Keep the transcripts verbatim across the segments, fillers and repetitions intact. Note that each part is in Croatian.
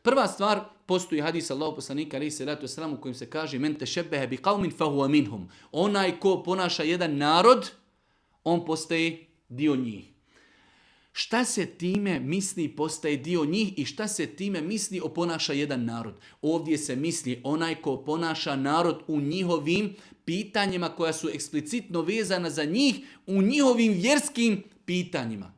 Prva stvar, postoji hadis Allahu poslanika alejhi selatu vesselam u kojem se kaže men tešebbehe bi qaumin fahuwa minhum. Onaj ko ponaša jedan narod, on postaje dio njih. Šta se time misli postaje dio njih i šta se time misli oponaša jedan narod? Ovdje se misli onaj ko ponaša narod u njihovim pitanjima koja su eksplicitno vezana za njih, u njihovim vjerskim pitanjima.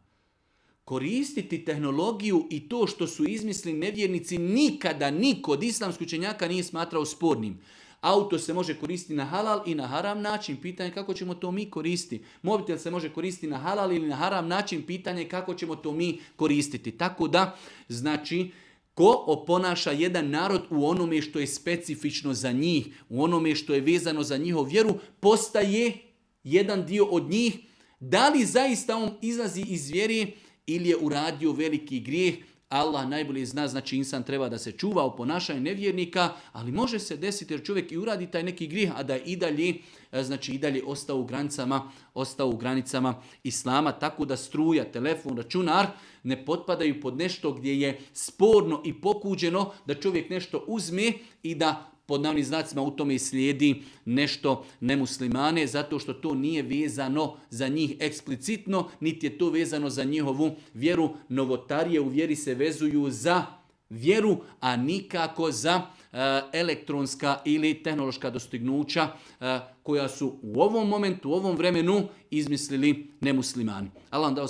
Koristiti tehnologiju i to što su izmislili nevjernici nikada niko od islamskih učenjaka nije smatrao spornim. Auto se može koristiti na halal i na haram način. Pitanje kako ćemo to mi koristiti. Mobitel se može koristiti na halal ili na haram način. Pitanje kako ćemo to mi koristiti. Tako da, znači, ko oponaša jedan narod u onome što je specifično za njih, u onome što je vezano za njihovu vjeru, postaje jedan dio od njih. Da li zaista on izlazi iz vjere ili je uradio veliki grijeh? Allah najbolje zna, znači insan treba da se čuva o ponašanju nevjernika, ali može se desiti jer čovjek i uradi taj neki grijeh, a da je i dalje, znači i dalje ostao u granicama, ostao u granicama islama, tako da struja, telefon, računar ne potpadaju pod nešto gdje je sporno i pokuđeno da čovjek nešto uzme i da pod navodnim znacima u tome slijedi nešto nemuslimane, zato što to nije vezano za njih eksplicitno, niti je to vezano za njihovu vjeru. Novotarije u vjeri se vezuju za vjeru, a nikako za uh, elektronska ili tehnološka dostignuća uh, koja su u ovom momentu, u ovom vremenu izmislili nemuslimani. Allah vam dao